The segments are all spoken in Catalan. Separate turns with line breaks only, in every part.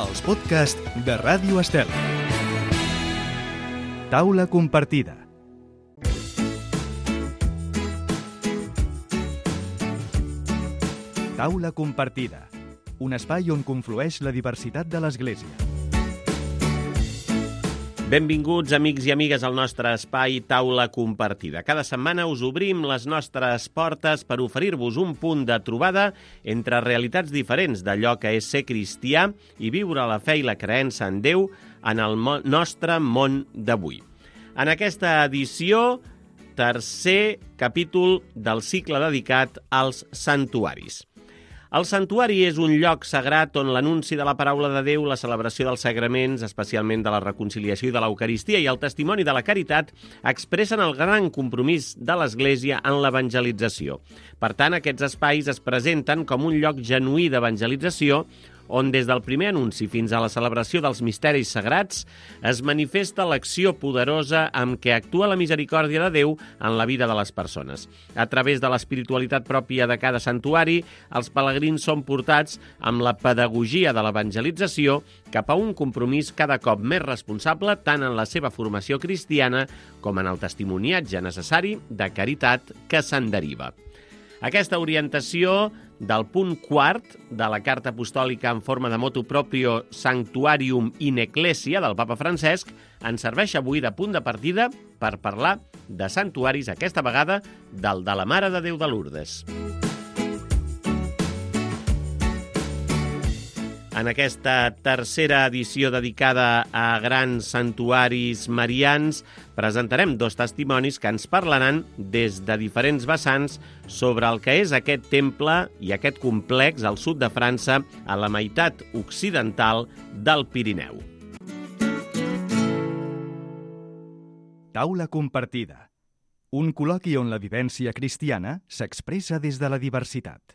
els podcasts de Ràdio Estel. Taula compartida. Taula compartida, un espai on conflueix la diversitat de l'Església.
Benvinguts, amics i amigues, al nostre espai Taula compartida. Cada setmana us obrim les nostres portes per oferir-vos un punt de trobada entre realitats diferents d'allò que és ser cristià i viure la fe i la creença en Déu en el nostre món d'avui. En aquesta edició, tercer capítol del cicle dedicat als santuaris. El santuari és un lloc sagrat on l'anunci de la paraula de Déu, la celebració dels sagraments, especialment de la reconciliació i de l'Eucaristia, i el testimoni de la caritat expressen el gran compromís de l'Església en l'evangelització. Per tant, aquests espais es presenten com un lloc genuí d'evangelització on des del primer anunci fins a la celebració dels misteris sagrats es manifesta l'acció poderosa amb què actua la misericòrdia de Déu en la vida de les persones. A través de l'espiritualitat pròpia de cada santuari, els pelegrins són portats amb la pedagogia de l'evangelització cap a un compromís cada cop més responsable tant en la seva formació cristiana com en el testimoniatge necessari de caritat que se'n deriva. Aquesta orientació del punt quart de la carta apostòlica en forma de motu proprio Sanctuarium in Ecclesia del papa Francesc ens serveix avui de punt de partida per parlar de santuaris, aquesta vegada del de la Mare de Déu de Lourdes. En aquesta tercera edició dedicada a grans santuaris marians, presentarem dos testimonis que ens parlaran des de diferents vessants sobre el que és aquest temple i aquest complex al sud de França, a la meitat occidental del Pirineu.
Taula compartida. Un col·loqui on la vivència cristiana s'expressa des de la diversitat.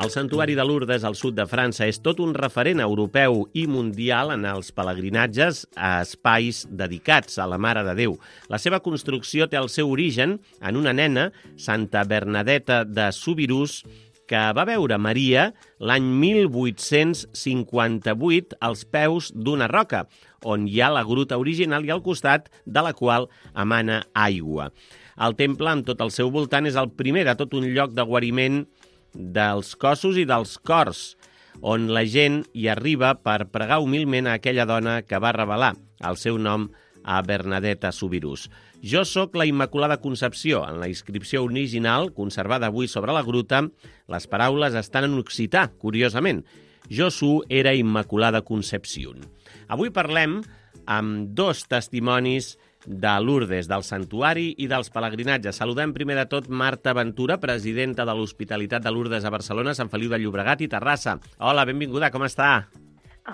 El santuari de Lourdes al sud de França és tot un referent europeu i mundial en els pelegrinatges a espais dedicats a la Mare de Déu. La seva construcció té el seu origen en una nena, Santa Bernadeta de Soubirous, que va veure Maria l'any 1858 als peus d'una roca, on hi ha la gruta original i al costat de la qual emana aigua. El temple, amb tot el seu voltant, és el primer de tot un lloc de guariment dels cossos i dels cors, on la gent hi arriba per pregar humilment a aquella dona que va revelar el seu nom a Bernadeta Soubirous. Jo sóc la Immaculada Concepció. En la inscripció original, conservada avui sobre la gruta, les paraules estan en occità, curiosament. Jo su era Immaculada Concepción. Avui parlem amb dos testimonis de Lourdes, del santuari i dels pelegrinatges. Saludem primer de tot Marta Ventura, presidenta de l'Hospitalitat de Lourdes a Barcelona, Sant Feliu de Llobregat i Terrassa. Hola, benvinguda, com està?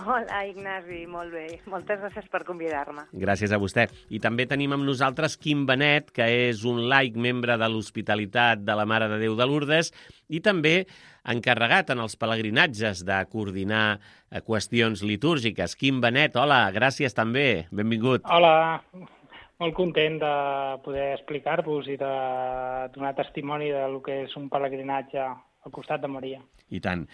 Hola, Ignasi, molt bé. Moltes gràcies per convidar-me.
Gràcies a vostè. I també tenim amb nosaltres Quim Benet, que és un laic membre de l'Hospitalitat de la Mare de Déu de Lourdes i també encarregat en els pelegrinatges de coordinar qüestions litúrgiques. Quim Benet, hola, gràcies també. Benvingut.
Hola, molt content de poder explicar-vos i de donar testimoni del que és un pelegrinatge al costat de Maria.
I tant.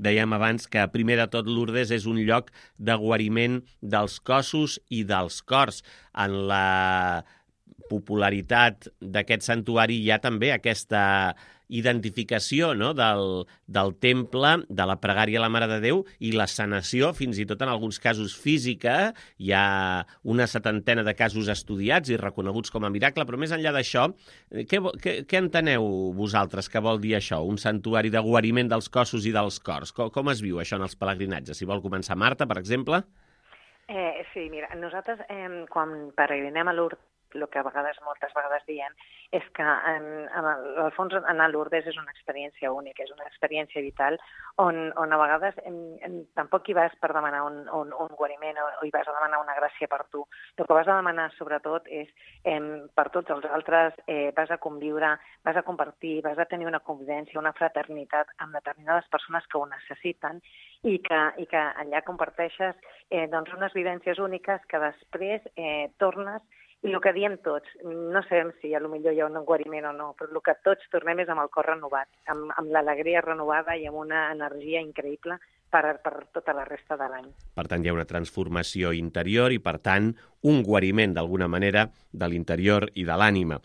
Dèiem abans que, primer de tot, Lourdes és un lloc de guariment dels cossos i dels cors. En la popularitat d'aquest santuari hi ha també aquesta identificació, no?, del temple, de la pregària a la Mare de Déu i la sanació, fins i tot en alguns casos física. Hi ha una 70 de casos estudiats i reconeguts com a miracle, però més enllà d'això, què enteneu vosaltres que vol dir això, un santuari de guariment dels cossos i dels cors? Com es viu això en els pelegrinatges? Si vol començar Marta, per exemple.
Sí, mira, nosaltres quan peregrinem a Lourdes, el que moltes vegades diem és que, al fons, anar a Lourdes és una experiència única, és una experiència vital on a vegades tampoc hi vas per demanar un guariment o hi vas a demanar una gràcia per tu. El que vas a demanar, sobretot, és per tots els altres, vas a conviure, vas a compartir, vas a tenir una convivència, una fraternitat amb determinades persones que ho necessiten i que allà comparteixes unes vivències úniques que després tornes el que diem tots, no sabem si potser hi ha un guariment o no, però el que tots tornem és amb el cor renovat, amb l'alegria renovada i amb una energia increïble per tota la resta de l'any.
Per tant, hi ha una transformació interior i, per tant, un guariment, d'alguna manera, de l'interior i de l'ànima.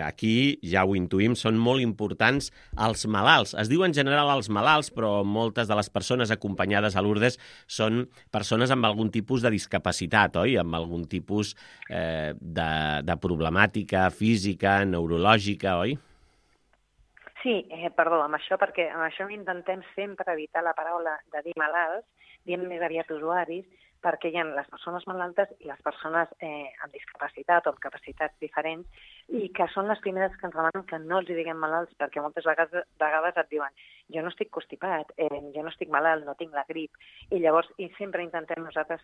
Aquí, ja ho intuïm, són molt importants els malalts. Es diu en general els malalts, però moltes de les persones acompanyades a Lourdes són persones amb algun tipus de discapacitat, oi? Amb algun tipus de problemàtica física, neurològica, oi?
Sí, perdó, perquè amb això intentem sempre evitar la paraula de dir malalts, diem més aviat usuaris, perquè hi ha les persones malaltes i les persones amb discapacitat o amb capacitats diferents, i que són les primeres que ens demanen que no els diguem malalts, perquè moltes vegades et diuen jo no estic constipat, jo no estic malalt, no tinc la grip, i llavors sempre intentem nosaltres,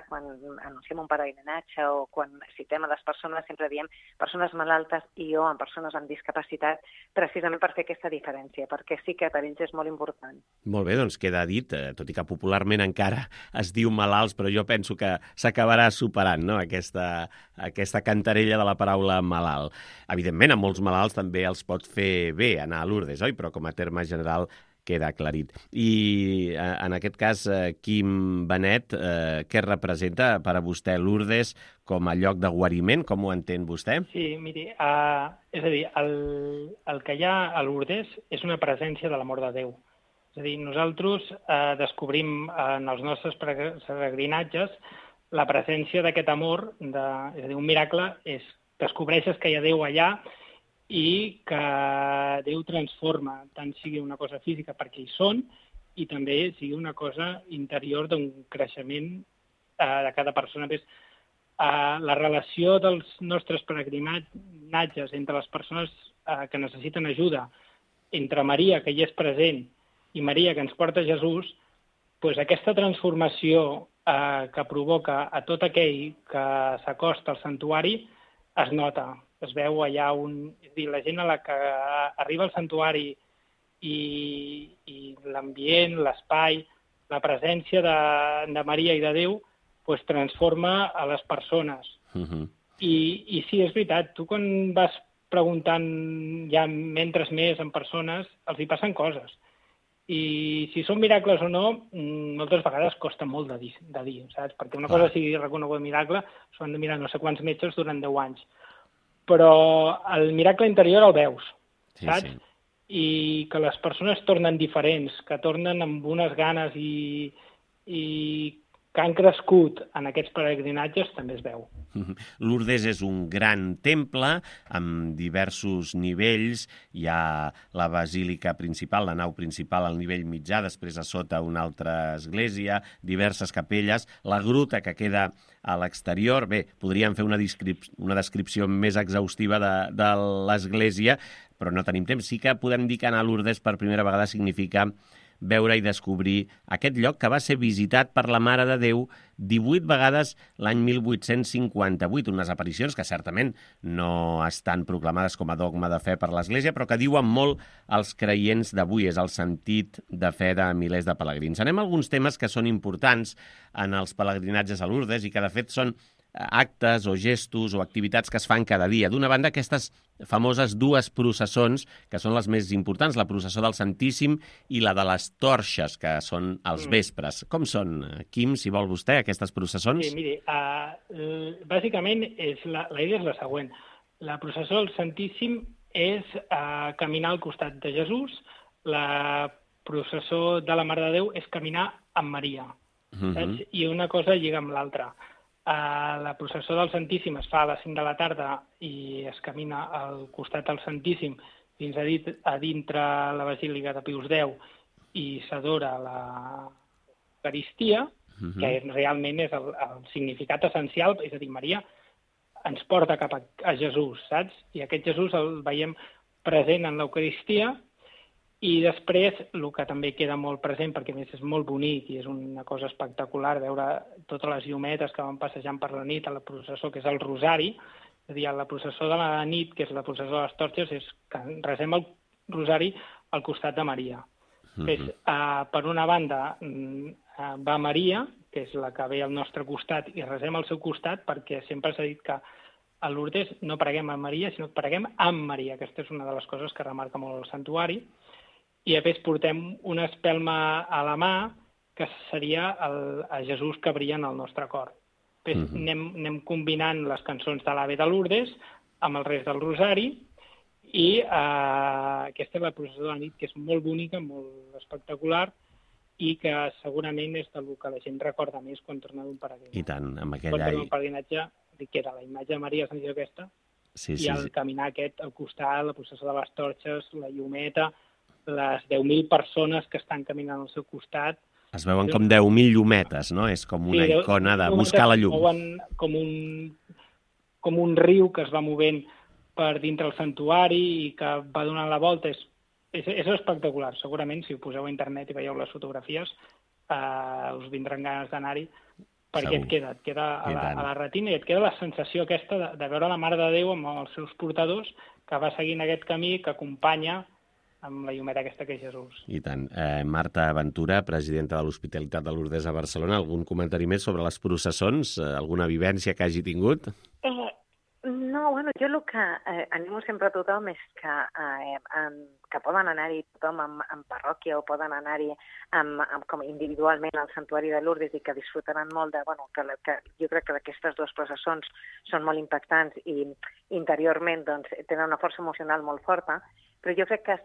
quan anunciem un peregrinatge o quan citem a les persones, sempre diem persones malaltes i o amb persones amb discapacitat, precisament per fer aquesta diferència, perquè sí que per ells és molt important.
Molt bé, doncs queda dit, tot i que popularment encara es diu malalts, però jo penso que s'acabarà superant, no?, aquesta cantarella de la paraula malalt. Evidentment, a molts malalts també els pot fer bé anar a Lourdes, oi? Però com a terme general queda aclarit. I en aquest cas, Quim Benet, què representa per a vostè Lourdes com a lloc de guariment? Com ho entén vostè?
Sí, miri, és a dir, el que hi ha a Lourdes és una presència de l'amor de Déu. És a dir, nosaltres descobrim en els nostres peregrinatges la presència d'aquest amor, és a dir, un miracle és descobreixes que hi ha Déu allà i que Déu transforma, tant sigui una cosa física perquè hi són i també sigui una cosa interior d'un creixement de cada persona. La relació dels nostres peregrinatges entre les persones que necessiten ajuda, entre Maria, que hi és present, i Maria, que ens porta Jesús, doncs aquesta transformació que provoca a tot aquell que s'acosta al santuari es nota, es veu allà és a dir, la gent a la que arriba al santuari i l'ambient, l'espai, la presència de Maria i de Déu, doncs transforma a les persones. I sí, és veritat, tu quan vas preguntant ja mentre més en persones, els hi passen coses. I si són miracles o no, moltes vegades costa molt de dir, saps? Perquè una cosa sigui reconegut miracle, s'ho han de mirar no sé quants metges durant 10 anys. Però el miracle interior el veus, saps? Sí. I que les persones tornen diferents, que tornen amb unes ganes i que han crescut en aquests peregrinatges, també es veu.
Lourdes és un gran temple amb diversos nivells. Hi ha la basílica principal, la nau principal al nivell mitjà, després a sota una altra església, diverses capelles, la gruta que queda a l'exterior. Bé, podríem fer una descripció més exhaustiva de l'església, però no tenim temps. Sí que podem dir que anar a Lourdes per primera vegada significa veure i descobrir aquest lloc que va ser visitat per la Mare de Déu 18 vegades l'any 1858, unes aparicions que certament no estan proclamades com a dogma de fe per l'Església, però que diuen molt als creients d'avui, és el sentit de fe de milers de pelegrins. Anem a alguns temes que són importants en els pelegrinatges a Lourdes i que de fet són actes o gestos o activitats que es fan cada dia. D'una banda, aquestes famoses dues processons, que són les més importants, la processó del Santíssim i la de les torxes, que són als vespres. Com són, Quim, si vol vostè, aquestes processons?
Sí, miri, bàsicament la idea és la següent. La processó del Santíssim és caminar al costat de Jesús, la processó de la Mare de Déu és caminar amb Maria, saps? I una cosa lliga amb l'altra. La processó del Santíssim es fa a les 5 de la tarda i es camina al costat del Santíssim fins a dintre la Basílica de Pius X i s'adora l'Eucaristia, que realment és el significat essencial, és a dir, Maria ens porta cap a Jesús, saps? I aquest Jesús el veiem present en l'Eucaristia. I després, el que també queda molt present, perquè a més és molt bonic i és una cosa espectacular veure totes les llumetes que van passejant per la nit a la processó, que és el Rosari, és a dir, a la processó de la nit, que és la processó de les torxes, és que resem el Rosari al costat de Maria. Per una banda va Maria, que és la que ve al nostre costat, i resem al seu costat, perquè sempre s'ha dit que a Lourdes no preguem a Maria, sinó que preguem amb Maria. Aquesta és una de les coses que remarca molt el santuari. I a més portem una espelma a la mà que seria a Jesús que brilla en el nostre cor. Després anem combinant les cançons de l'Ave de Lourdes amb el rest del Rosari i aquesta és la processó de la nit, que és molt bonica, molt espectacular i que segurament és del que la gent recorda més quan torna d'un peregrinatge.
I tant, amb aquell
Quan torna d'un peregrinatge, que era la imatge de Maria Sant aquesta, i el caminar aquest al costat, la processó de les torxes, la llumeta, les 10.000 persones que estan caminant al seu costat.
Es veuen com 10.000 llumetes, no? És com una icona de buscar la llum.
Com un riu que es va movent per dintre el santuari i que va donant la volta. És espectacular. Segurament, si ho poseu a internet i veieu les fotografies, us vindran ganes d'anar-hi, perquè et queda a la retina i et queda la sensació aquesta de veure la Mare de Déu amb els seus portadors que va seguint aquest camí que acompanya amb la llumeta aquesta que és Jesús.
I tant. Marta Ventura, presidenta de l'Hospitalitat de Lourdes a Barcelona, algun comentari més sobre les processons? Alguna vivència que hagi tingut?
No, bueno, jo el que animo sempre a tothom és que poden anar-hi tothom en parròquia o poden anar-hi com individualment al Santuari de Lourdes i que disfrutaran molt de, bueno, que jo crec que aquestes dues processons són molt impactants i interiorment doncs, tenen una força emocional molt forta, però jo crec que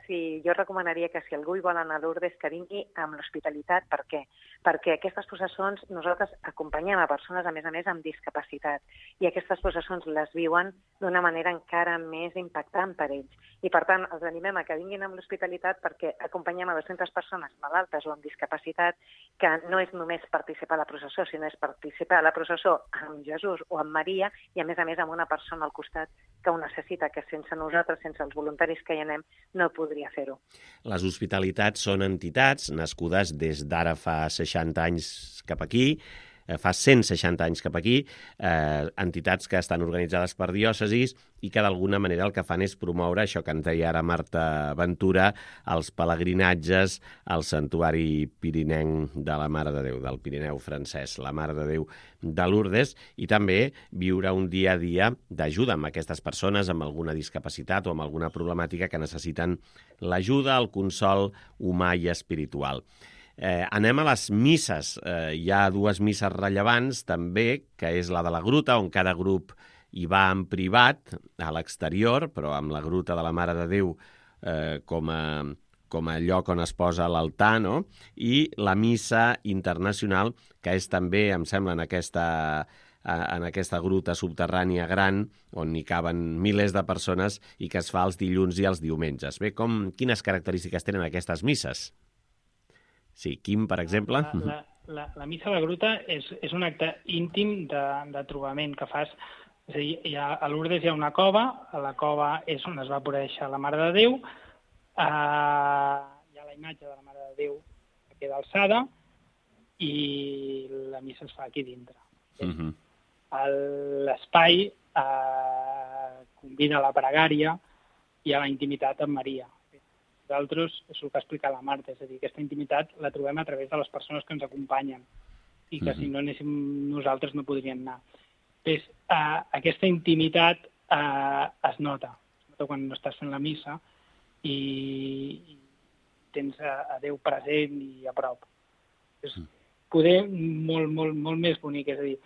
jo recomanaria que si algú hi vol anar a Lourdes que vingui amb l'hospitalitat. Per què? Perquè aquestes processons nosaltres acompanyem a persones, a més, amb discapacitat i aquestes processons les viuen d'una manera encara més impactant per ells. I, per tant, els animem a que vinguin amb l'hospitalitat perquè acompanyem a 200 persones malaltes o amb discapacitat que no és només participar a la processó, sinó és participar a la processó amb Jesús o amb Maria i, a més, amb una persona al costat que ho necessita, que sense nosaltres, sense els voluntaris que hi anem, no podria fer-ho.
Les hospitalitats són entitats nascudes des d'ara fa 60 anys cap aquí, fa 160 anys cap aquí, entitats que estan organitzades per diòcesis i que d'alguna manera el que fan és promoure això que ens deia ara Marta Ventura, els pelegrinatges al Santuari Pirinenc de la Mare de Déu, del Pirineu francès, la Mare de Déu de Lourdes, i també viure un dia a dia d'ajuda amb aquestes persones amb alguna discapacitat o amb alguna problemàtica que necessiten l'ajuda, el consol humà i espiritual. Anem a les misses. Hi ha dues misses rellevants també, que és la de la gruta, on cada grup hi va en privat, a l'exterior, però amb la gruta de la Mare de Déu com a lloc on es posa l'altar, no? I la missa internacional, que és també, em sembla, en aquesta gruta subterrània gran, on hi caben milers de persones i que es fa els dilluns i els diumenges. Bé, quines característiques tenen aquestes misses? Sí, Quim, per exemple.
La missa a la gruta és un acte íntim de trobament que fas. És a dir, a Lourdes hi ha una cova, a la cova és on es va aparèixer la Mare de Déu, hi ha la imatge de la Mare de Déu que queda alçada i la missa es fa aquí dintre. L'espai convida a la pregària i a la intimitat amb Maria. Nosaltres, és el que ha explicat la Marta, és a dir, aquesta intimitat la trobem a través de les persones que ens acompanyen i que si no anéssim nosaltres no podrien anar. Doncs, aquesta intimitat es nota quan estàs fent la missa i tens a Déu present i a prop. És poder molt més bonic, és a dir,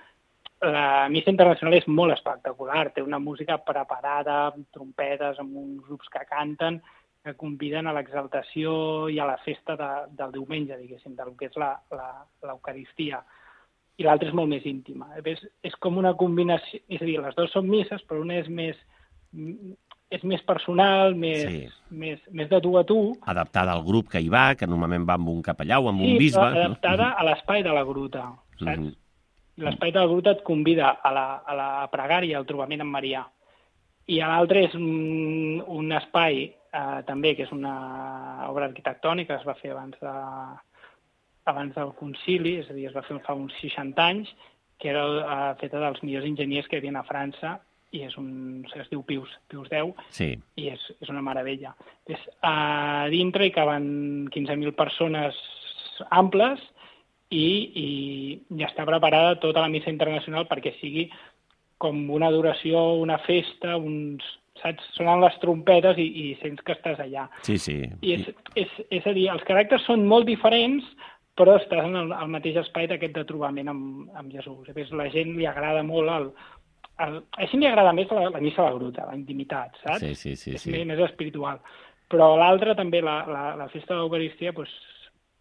la missa internacional és molt espectacular, té una música preparada, amb trompetes, amb uns grups que canten, que conviden a l'exaltació i a la festa del diumenge, diguéssim, del que és l'Eucaristia. I l'altra és molt més íntima. És com una combinació, és a dir, les dues són misses, però una és més personal, més de tu a tu.
Adaptada al grup que hi va, que normalment va amb un capellà o amb un bisbe.
Sí, adaptada a l'espai de la gruta, saps? L'espai de la gruta et convida a la pregària, al trobament amb Maria. I l'altre és un espai també, que és una obra arquitectònica que es va fer abans del concili, és a dir, es va fer fa uns 60 anys, que era feta dels millors enginyers que hi havia a França, i es diu Pius X, i és una meravella. A dintre hi caben 15.000 persones amples i ja està preparada tota la missa internacional perquè sigui com una adoració, una festa, saps? Sonen les trompetes i sents que estàs allà.
Sí, sí.
I és a dir, els caràcters són molt diferents, però estàs en el mateix espai d'aquest de trobament amb Jesús. A més, la gent li agrada molt així li agrada més la missa a la gruta, la intimitat, saps?
Sí.
És més espiritual. Però l'altra també, la festa de l'Eucaristia,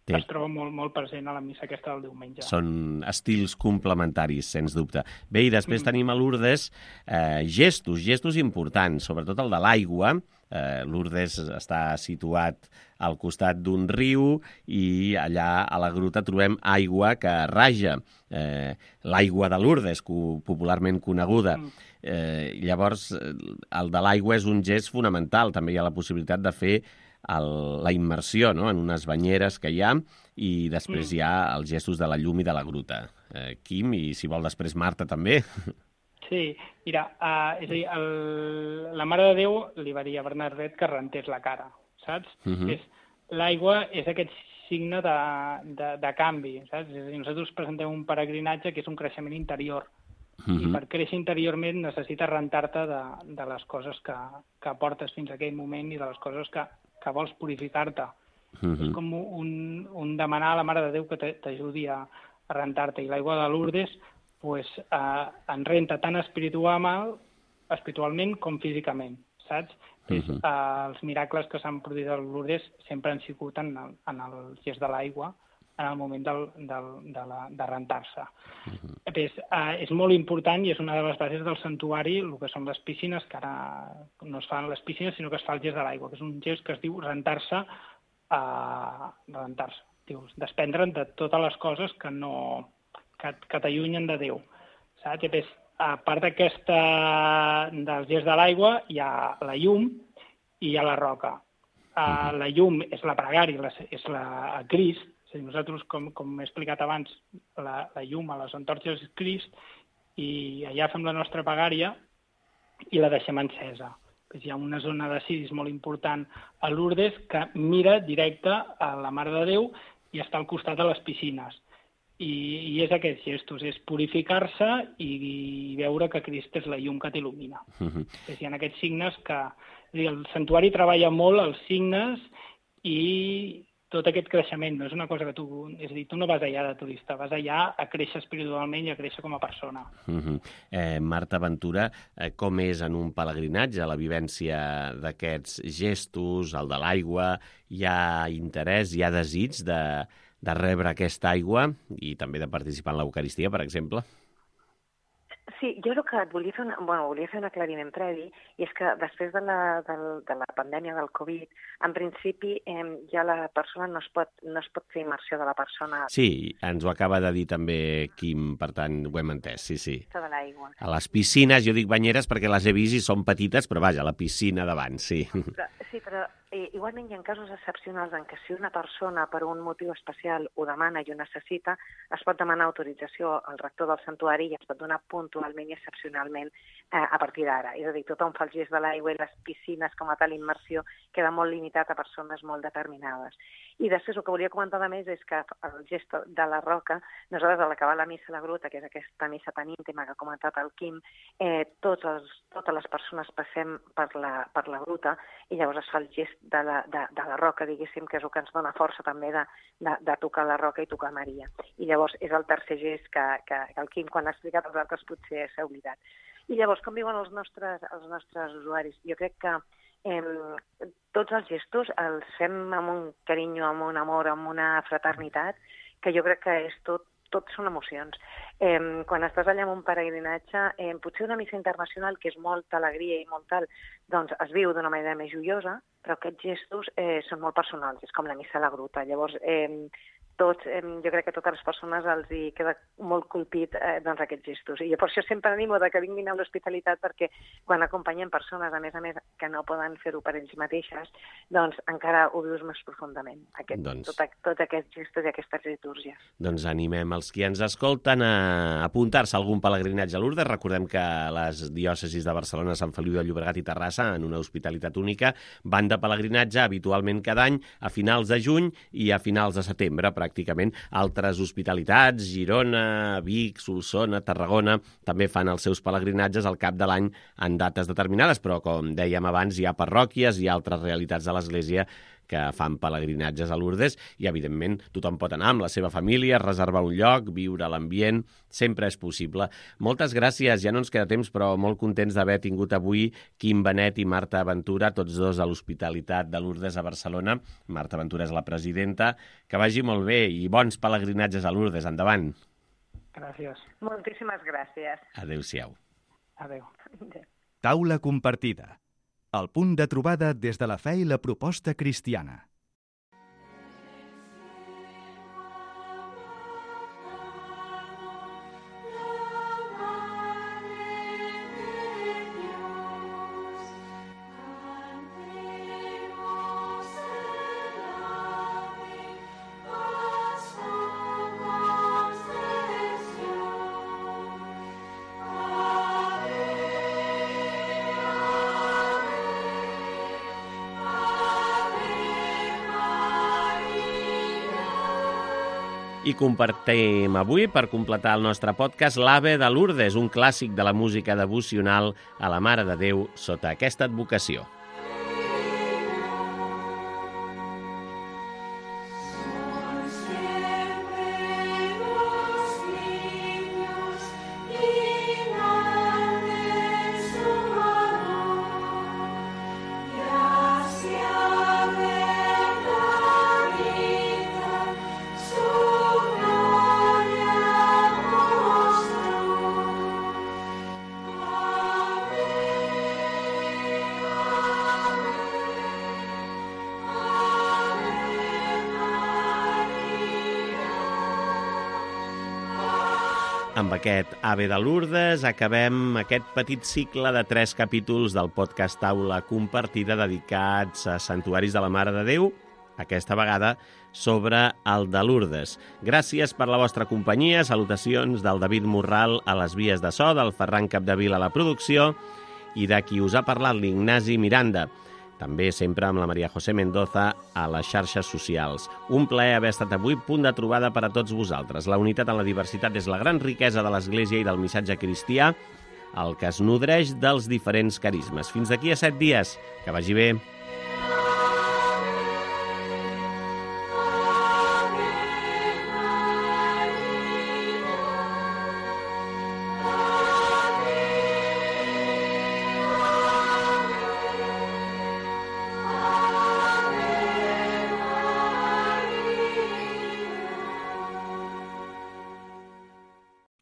es troba molt, molt present a la missa aquesta del diumenge.
Són estils complementaris, sens dubte. Bé, i després tenim a Lourdes gestos importants, sobretot el de l'aigua. Lourdes està situat al costat d'un riu i allà a la gruta trobem aigua que raja, l'aigua de Lourdes, popularment coneguda. Llavors, el de l'aigua és un gest fonamental. També hi ha la possibilitat de fer la immersió, no?, en unes banyeres que hi ha, i després hi ha els gestos de la llum i de la gruta. Quim, i si vol després Marta també.
Sí, mira, és a dir, la Mare de Déu li va dir a Bernadette que rentés la cara, saps? L'aigua és aquest signe de canvi, saps? És a dir, nosaltres presentem un peregrinatge que és un creixement interior, i per créixer interiorment necessites rentar-te de les coses que portes fins a aquell moment i de les coses que vols purificar-te. És com un demanar a la Mare de Déu que t'ajudi a rentar-te. I l'aigua de Lourdes en renta tant espiritualment com físicament, saps? Els miracles que s'han produït a Lourdes sempre han sigut en el gest de l'aigua, en el moment de rentar-se. És molt important i és una de les bases del santuari, el que són les piscines, que ara no es fan les piscines, sinó que es fa el gest de l'aigua, que és un gest que es diu rentar-se, desprendre'n de totes les coses que t'allunyen de Déu. Saps? A part del gest de l'aigua hi ha la llum i hi ha la roca. La llum és la pregària, és a Crist. És a dir, nosaltres, com he explicat abans, la llum a les antorxes és Crist, i allà fem la nostra pregària i la deixem encesa. Hi ha una zona de ciris molt important a Lourdes que mira directe a la Mare de Déu i està al costat de les piscines. I és aquests gestos, és purificar-se i veure que Crist és la llum que t'il·lumina. Hi ha aquests signes que... El santuari treballa molt els signes i tot aquest creixement. No és una cosa que és a dir, tu no vas allà de turista, vas allà a créixer espiritualment i a créixer com a persona.
Marta Ventura, com és en un pelegrinatge la vivència d'aquests gestos, el de l'aigua? Hi ha interès, hi ha desig de rebre aquesta aigua i també de participar en l'Eucaristia, per exemple?
Sí, jo el que volia fer un aclariment previ, i és que després de la pandèmia del Covid, en principi ja la persona no es pot fer immersió de la persona.
Sí, ens ho acaba de dir també Quim, per tant ho hem entès, sí.
De l'aigua.
A les piscines, jo dic banyeres perquè les he vist i són petites, però vaja, la piscina davant, sí.
Però igualment hi ha casos excepcionals en què si una persona per un motiu especial ho demana i ho necessita, es pot demanar autorització al rector del santuari i es pot donar puntualment i excepcionalment a partir d'ara. És a dir, tothom fa el gest de l'aigua i les piscines com a tal immersió queda molt limitat a persones molt determinades. I després el que volia comentar de més és que el gest de la roca, nosaltres a l'acabar la missa a la gruta, que és aquesta missa tan íntima que ha comentat el Quim, totes les persones passem per la gruta i llavors es fa el gest de la roca, diguéssim, que és el que ens dona força també de tocar la roca i tocar Maria. I llavors és el tercer gest que el Quim, quan ha explicat els altres, potser s'ha oblidat. I llavors, com viuen els nostres usuaris? Jo crec que tots els gestos els fem amb un carinyo, amb un amor, amb una fraternitat, que jo crec que és tot són emocions. Quan estàs allà en un peregrinatge, potser una missa internacional, que és molta alegria i molt tal, doncs es viu d'una manera més joiosa, però aquests gestos són molt personals, és com la missa a la gruta. Llavors, jo crec que a totes les persones els hi queda molt colpit aquests gestos. I jo per això sempre animo que vinguin a l'hospitalitat, perquè quan acompanyem persones, a més, que no poden fer-ho per ells mateixes, doncs encara ho vius més profundament, tots aquests gestos i aquestes litúrgies.
Doncs animem els qui ens escolten a apuntar-se a algun pelegrinatge a Lourdes. Recordem que les diòcesis de Barcelona, Sant Feliu de Llobregat i Terrassa, en una hospitalitat única, van de pelegrinatge habitualment cada any a finals de juny i a finals de setembre, per pràcticament. Altres hospitalitats, Girona, Vic, Solsona, Tarragona, també fan els seus pelegrinatges al cap de l'any en dates determinades, però com dèiem abans, hi ha parròquies i altres realitats de l'Església que fan pelegrinatges a Lourdes i, evidentment, tothom pot anar amb la seva família, reservar un lloc, viure l'ambient, sempre és possible. Moltes gràcies, ja no ens queda temps, però molt contents d'haver tingut avui Quim Benet i Marta Ventura, tots dos a l'Hospitalitat de Lourdes a Barcelona. Marta Ventura és la presidenta. Que vagi molt bé i bons pelegrinatges a Lourdes. Endavant.
Gràcies.
Moltíssimes gràcies.
Adéu-siau.
Adéu.
Taula compartida. El punt de trobada des de la fe i la proposta cristiana.
I compartim avui, per completar el nostre podcast, l'Ave de Lourdes, un clàssic de la música devocional a la Mare de Déu sota aquesta advocació. Amb aquest Ave de Lourdes acabem aquest petit cicle de 3 capítols del podcast Taula Compartida dedicats a santuaris de la Mare de Déu, aquesta vegada sobre el de Lourdes. Gràcies per la vostra companyia, salutacions del David Morral a les vies de so, del Ferran Capdevila a la producció i de qui us ha parlat, l'Ignasi Miranda. També sempre amb la Maria José Mendoza a les xarxes socials. Un plaer haver estat avui, punt de trobada per a tots vosaltres. La unitat en la diversitat és la gran riquesa de l'Església i del missatge cristià, el que es nodreix dels diferents carismes. Fins d'aquí a 7 dies. Que vagi bé.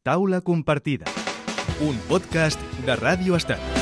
Taula compartida. Un podcast de Ràdio Estat.